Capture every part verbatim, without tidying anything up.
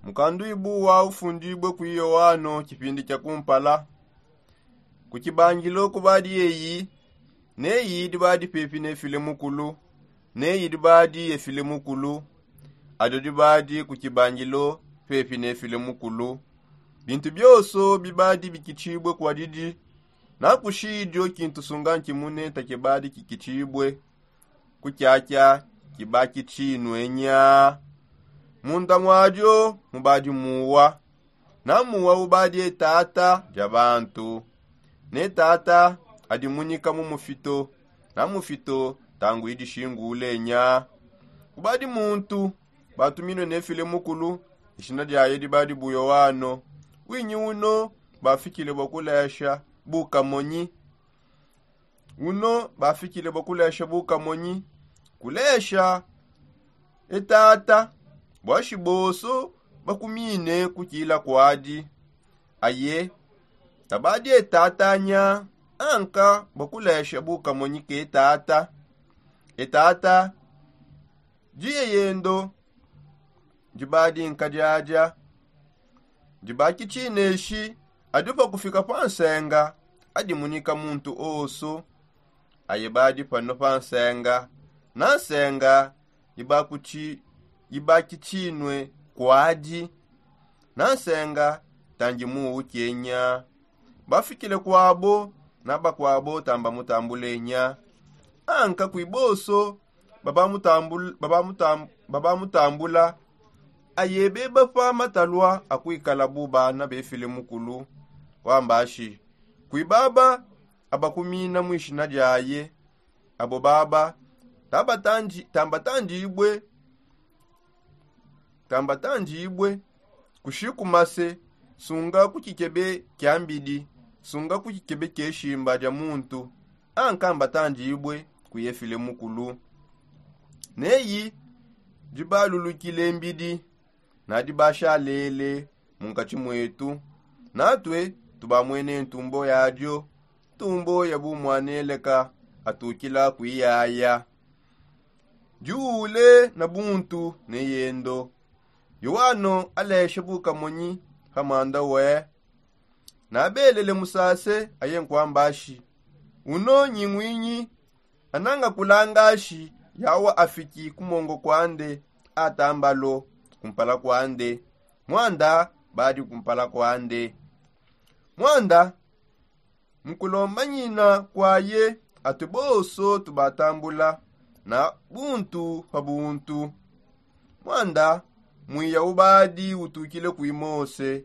Mukanduibu wa ufundibue ku yoano kipindi kia kumpala. Ku kibangilo kubadi eyi, neyi dibadi pepi ne file mukulu, neyi dibadi efile mukulu. Adio dibadi ku kibangilo pepi ne file mukulu. Bintu bionso bibadi bikitibue kwa didi. Nakushi idio kintu sunga nkimune takibadi kikitibue. Ku kyakya kiba kitinue nya. Munda muadio mubadi muwa. Na muwa ubadi etata dia bantu. Ne tata adimunika mu mufito. Na mufito tangu idishingule nya. Kubadi muntu batuminue ne file mukulu. Ishina diaye dibadi bu yoano. Winyi uno bafikile bua kulesha bukamonyi. Uno bafikile bua kulesha bukamonyi. Kulesha etata bua shibonso bakumine kukila kuadi. Aye tabadi etata nya. Anka bua kulesha bukamonyi ke tata. Etata diye yendo. Dibadi nkadiadia. Dibaki tshineshi. Adi pa kufika pa nsenga. Adi munika muntu osu. Aye badi pano pa nsenga. Na nsenga ibaki tshinue kuadi. Na nsenga tangi muwu kenya. Bafikile kuabo. Na bakuabo tamba mutambule nya. Anka kuiboso babamutambula. Ayebe bapa matalua akuikala bu bana befile mukulu. Wambashi kuibaba abakumina muishina diaye. Abo baba tambatandibue. Tambatandibue kushikumase. Sunga ku kikebe kia mbidi. Sunga ku kikebe kieshimba dia muntu. Anka mbatandibue kuyefile mukulu. Neyi dibalulukile mbidi. Nadi bashalele mu nkatshi muetu. Natue tubamwene ntumbo yadio. Ntumbo ya bumwaneleka atukila kuiyaya. Diule na buntu ne yendo. Yoano aleshe bukamonyi ha mwanda we. Nabelele musase aye nkwambashi. Uno nyingwinyi. Ananga kulangashi yawa afiki kumongo kwande. Atambalo kumpala kwande. Mwanda badi kumpala kwande. Mwanda mukulomba nyina kwaye. Atu bonso tubatambula na buntu pa buntu. Mwanda mwiya ubadi utukile kui mose.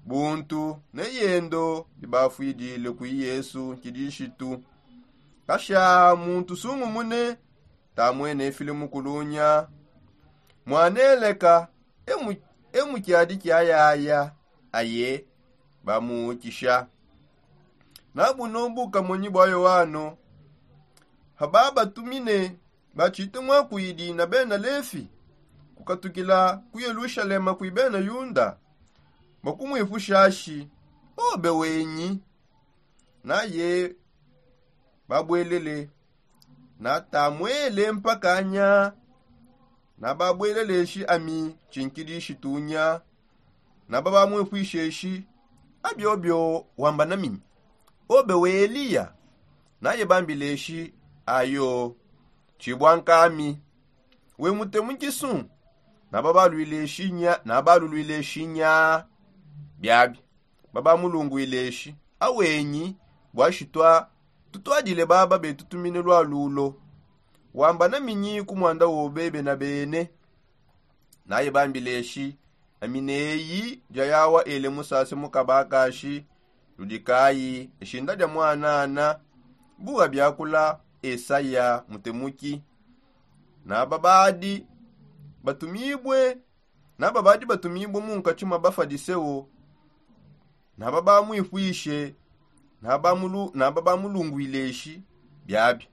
Buntu ne yendo bibafwidile kui yesu nkidishitu. Kasha muntu sungumune tamwene file mukulunya. Mwaneleka emu kiadi kiayaya. Aye bamuukisha. Na buno bukamonyi bua yoano. Haba batumine batshite muakuidi na bena lefi kukatukila ku yelushalema kui bena yuda. Bakumwipushashi obe wenyi. Naye babuelele. Natamuele mpakanya. Nababueleleshi ami tshinkidishitunya. Naba bamwipwisheshi abiobio wamba naminyi? Obe we eliya? Naye bambileshi ayo tshibua nkami. We mutemukisu? Naba balwileshi nya naba lulwileshi nya. Biabi baba mulungwileshi awenyi? Bua shitua tutuadile baba betutumine lua lulo. Wamba naminyi ku mwanda wobe bena bene? Naye bambileshi ami neyi dia yawa ele musase mukabakashi. Ludi kayi eshinda dia mwanana? Buha biakula esaya mutemuki. Naba badi batumibue naba badi batumibue mu nkatshi mua bafadiseo. Naba bamwipwishe. Naba bamulungwileshi biabi.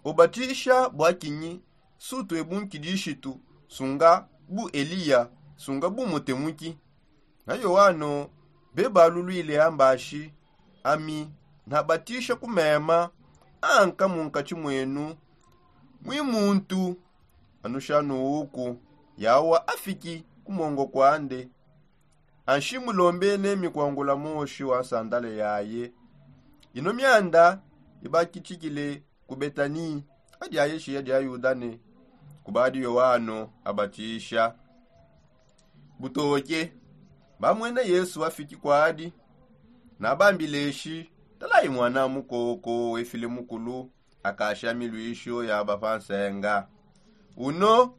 Ubatisha bua kinyi? Sutue bu nkidishitu sunga bu eliya sunga bu mutemuki. Na yoano bebalulwile ambashi ami nabatisha ku mema. Anka munkatshi muenu mui muntu anu shanuuku yawa afiki. ku mongo kwande, anshi mulombene mikwangula moshi wa nsandala yaye. Ino mianda ibakitshikile ku Betani, adi ayeshiya dia Yuda ne kubadi Yoano abatisha. Butoke bamwene Yesu afiki kwadi, nabambile shi: Talayi mwana mukoko wefile mukulu, akasha milwisho yaba pa nsenga. Uno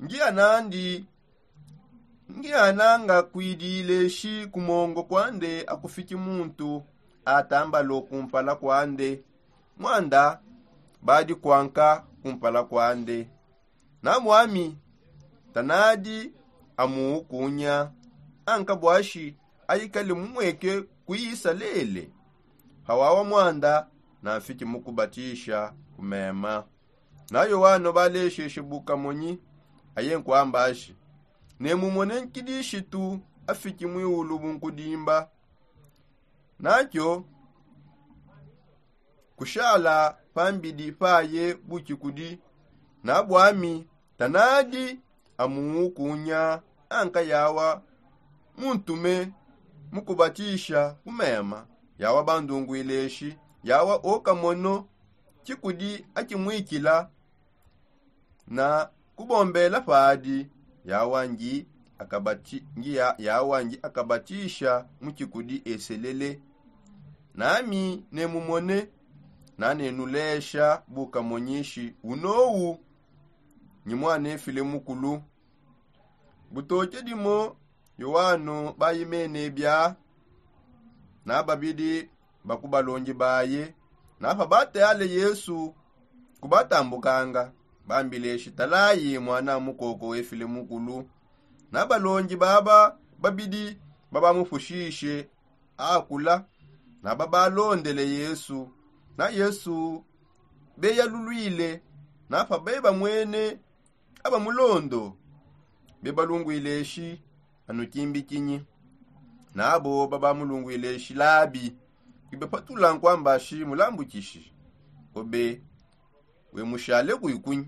ngianandi ngiananga kwidile shi ku mongo kwande akufiki muntu atambalo kumpala kwande, mwanda badi kwanka kumpala kwande. Na bwami tanadi amuukunya, anka bwashi aikale mumweke ku Isalele. Pawawa mwanda nanfiki mukubatisha ku mema. Na Yoano balesheshe bukamonyi, aye nkwambashi: Nemumone nkidishitu afiki mwiulu bunkudimba. Nakyo kushala pambidi paye bukikudi. Na bwami tanadi amuukunya, anka yawa muntume mukubatisha ku mema. Yawa bandungwileshi, yawa okamono kikudi akimwikila na kubombela padi. Yawangi akabati ngi ya- yawangi akabatisha mu kikudi eselele. Nami nemumone nanenulesha bukamonyishi unowu nyi mwana efile mukulu. Butoke dimo Yoano bayimene bya na babidi bakubalongi baye. Napa batale Yesu kubatambukanga, bambile shitalayi mwana mukoko wefile mukulu. Na balongi baba babidi babamupushishe akula, na babalondele Yesu. Na Yesu beyalulwile, napa bebamwene abamulondo bebalungwile shi: Anu kimbi kinyi? Nabo babamulungwile shi: Labi, ibepatula nkwamba shi mulambukishi, obe wemushale kuikunyi?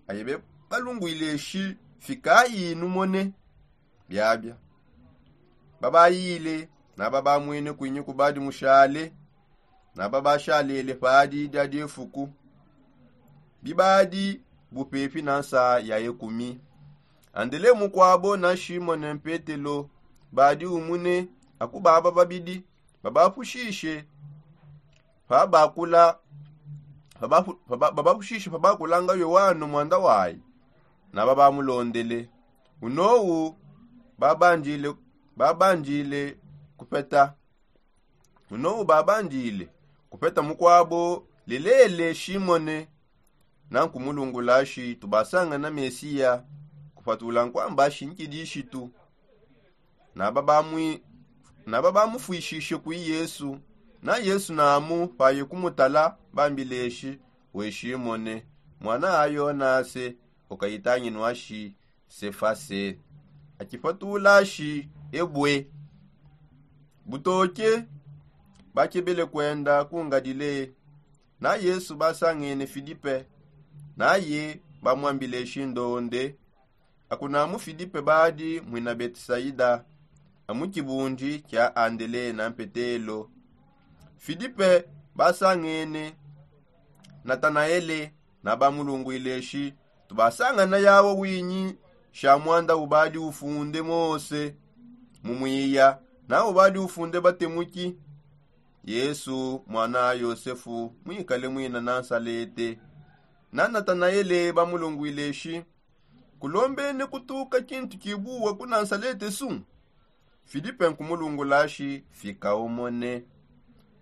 Aye bebalungwile shi: Fikayi numone. Biabia babayile, naba bamwene kwinyi kubadi mushale, naba bashalele padi dia diefuku. Bibadi bupepi na nsa ya ekumi. Andele mukwabo na Shimone Petelo badi umune akubaba babidi babapushishe pabakula, babapu- baba- babapushishe pabakulanga Yoano mwanda wayi, naba bamulondele. Unowu babandile babandile kupeta. Unowu babandile kupeta mukwabo lelele Shimone. Nankumulungula shi: Tubasangana Mesiya, kupatula nkwamba shi nkidishitu. Naba bamwi- naba bamufwishishe kwi Yesu. Na Yesu namu paye kumutala bambile shi: We Shimone, mwana a Yonase, ukayitanginwa shi Sefase, akipatula shi ebwe. Butoke bakebele kwenda ku Ngalile. Na Yesu basangene Filipe, naye bamwambile shi ndonde. Akunamu Filipe badi mwina Betisaida, amu kibundi kia Andele na Petelo. Filipe basangene Natanaele, naba mulungwile shi: Tubasangana yawa winyi sha mwanda ubadi ufunde Mose mu mwiya, na ubadi ufunde batemuki, Yesu mwana a Yosefu, mwikale mwina Nansalete. Na Natanaele bamulungwile shi: Kulombene kutuka kintu kibuwa ku Nansalete su? Filipe nkumulungula shi: Fika umone.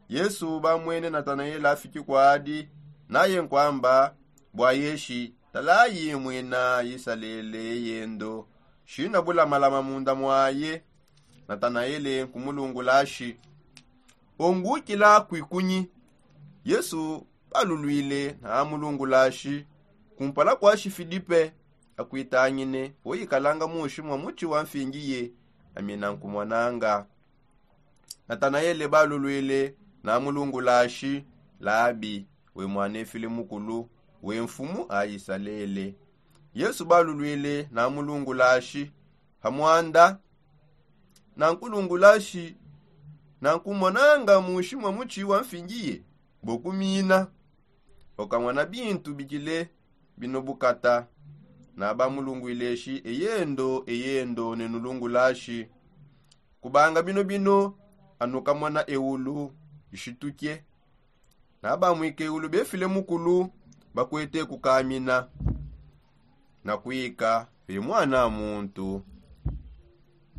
Yesu bamwene Natanaele afiki kwadi, naye nkwamba bwa yeshi: Talayi mwina Isalele yendo, shina bulamalama munda mwaye. Natanaele nkumulungula shi: Ongukila kwikunyi? Yesu balulwile namulungula shi: Kumpala kwa shi Filipe akwitangine, oyikalanga mushi mwa muchi wa mfingiye, amina nkumwananga. Natanaele balulwile namulungula shi: Labi, we mwana efile mukulu, we mfumu a Isalele. Yesu balulwile namulungula shi: pa mwanda, nankulungulashi nankumonanga munshi mwa mutshi wa mfingiye bokumina. Okamona bintu bikile bino bukata nabamulungwileshi eyendo eyendo nenulungulashi. Kubanga bino bino anukamona ewulu ishituke nabamwika ewulu befile mukulu bakwete kukamina. Nakwika pe mwana muntu